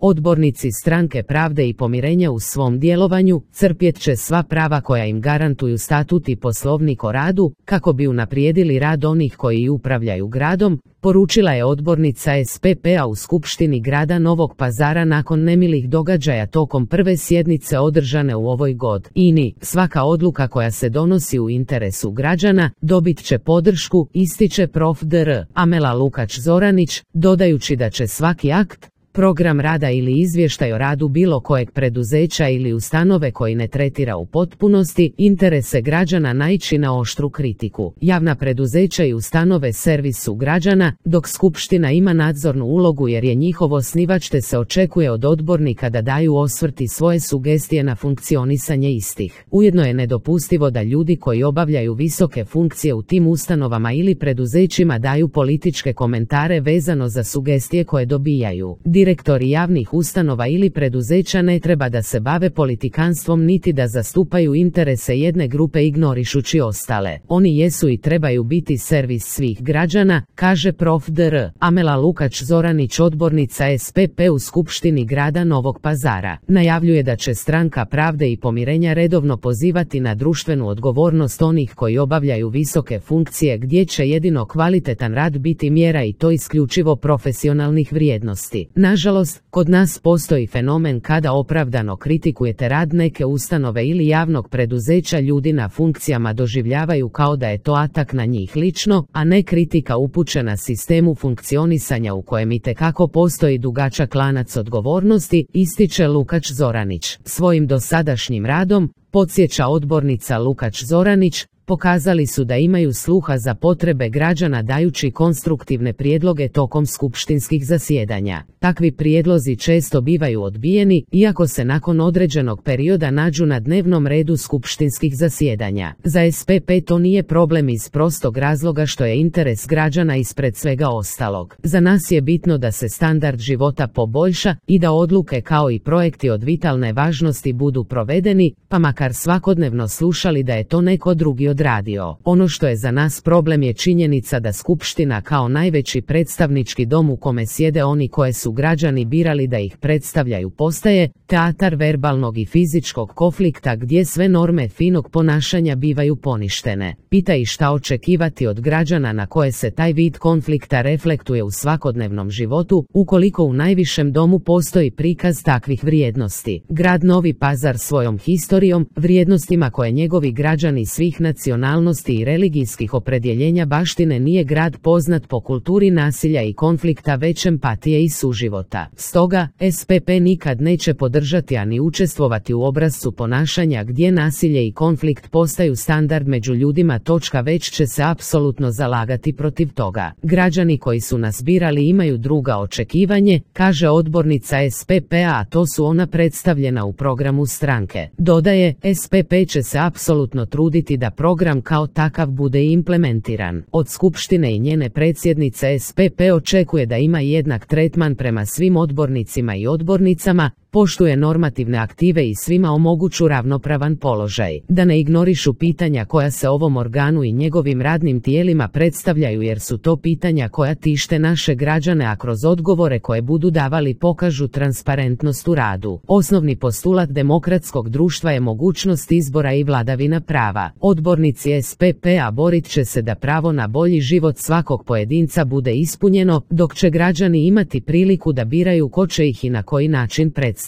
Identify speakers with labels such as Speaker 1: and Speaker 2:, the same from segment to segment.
Speaker 1: Odbornici Stranke pravde i pomirenja u svom djelovanju crpjet će sva prava koja im garantuju statut i poslovnik o radu, kako bi unaprijedili rad onih koji upravljaju gradom, poručila je odbornica SPP-a u Skupštini grada Novog Pazara nakon nemilih događaja tokom prve sjednice održane u ovoj godini. Svaka odluka koja se donosi u interesu građana dobit će podršku, ističe prof. dr. Amela Lukač Zoranić, dodajući da će svaki akt, program rada ili izvještaj o radu bilo kojeg preduzeća ili ustanove koji ne tretira u potpunosti interese građana naići na oštru kritiku. Javna preduzeća i ustanove servis su građana, dok Skupština ima nadzornu ulogu jer je njihov osnivač, te se očekuje od odbornika da daju osvrt i svoje sugestije na funkcionisanje istih. Ujedno je nedopustivo da ljudi koji obavljaju visoke funkcije u tim ustanovama ili preduzećima daju političke komentare vezano za sugestije koje dobijaju. Direktori javnih ustanova ili preduzeća ne treba da se bave politikanstvom niti da zastupaju interese jedne grupe ignorišući ostale. Oni jesu i trebaju biti servis svih građana, kaže prof. dr. Amela Lukač Zoranić, odbornica SPP u Skupštini grada Novog Pazara. Najavljuje da će Stranka pravde i pomirenja redovno pozivati na društvenu odgovornost onih koji obavljaju visoke funkcije, gdje će jedino kvalitetan rad biti mjera i to isključivo profesionalnih vrijednosti. Nažalost, kod nas postoji fenomen kada opravdano kritikujete rad neke ustanove ili javnog preduzeća, ljudi na funkcijama doživljavaju kao da je to atak na njih lično, a ne kritika upućena sistemu funkcionisanja u kojem itekako postoji dugačak lanac odgovornosti, ističe Lukač Zoranić. Svojim dosadašnjim radom, podsjeća odbornica Lukač Zoranić, pokazali su da imaju sluha za potrebe građana dajući konstruktivne prijedloge tokom skupštinskih zasjedanja. Takvi prijedlozi često bivaju odbijeni, iako se nakon određenog perioda nađu na dnevnom redu skupštinskih zasjedanja. Za SPP to nije problem iz prostog razloga što je interes građana ispred svega ostalog. Za nas je bitno da se standard života poboljša i da odluke kao i projekti od vitalne važnosti budu provedeni, pa makar svakodnevno slušali da je to neko drugi odradio. Ono što je za nas problem je činjenica da Skupština kao najveći predstavnički dom u kome sjede oni koje su građani birali da ih predstavljaju postaje teatar verbalnog i fizičkog konflikta gdje sve norme finog ponašanja bivaju poništene. Pita i šta očekivati od građana na koje se taj vid konflikta reflektuje u svakodnevnom životu, ukoliko u najvišem domu postoji prikaz takvih vrijednosti. Grad Novi Pazar svojom historijom, vrijednostima koje njegovi građani svih nacionalnosti i religijskih opredjeljenja baštine nije grad poznat po kulturi nasilja i konflikta, već empatije i suživota. Stoga, SPP nikad neće podržati ani učestvovati u obrascu ponašanja gdje nasilje i konflikt postaju standard među ljudima, već će se apsolutno zalagati protiv toga. Građani koji su nas birali imaju druga očekivanje, kaže odbornica SPP-a, a to su ona predstavljena u programu stranke. Dodaje, SPP će se apsolutno truditi da program kao takav bude implementiran. Od Skupštine i njene predsjednice SPP očekuje da ima jednak tretman prema svim odbornicima i odbornicama, poštuje normativne aktive i svima omoguću ravnopravan položaj. Da ne ignorišu pitanja koja se ovom organu i njegovim radnim tijelima predstavljaju, jer su to pitanja koja tište naše građane, a kroz odgovore koje budu davali pokažu transparentnost u radu. Osnovni postulat demokratskog društva je mogućnost izbora i vladavina prava. Odbornici SPP-a borit će se da pravo na bolji život svakog pojedinca bude ispunjeno, dok će građani imati priliku da biraju ko će ih i na koji način predstavljati.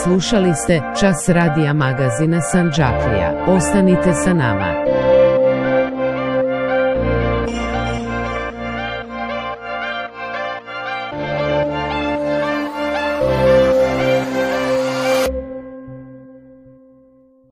Speaker 1: Slušali ste Čas radija magazina Sandžaklija. Ostanite sa nama.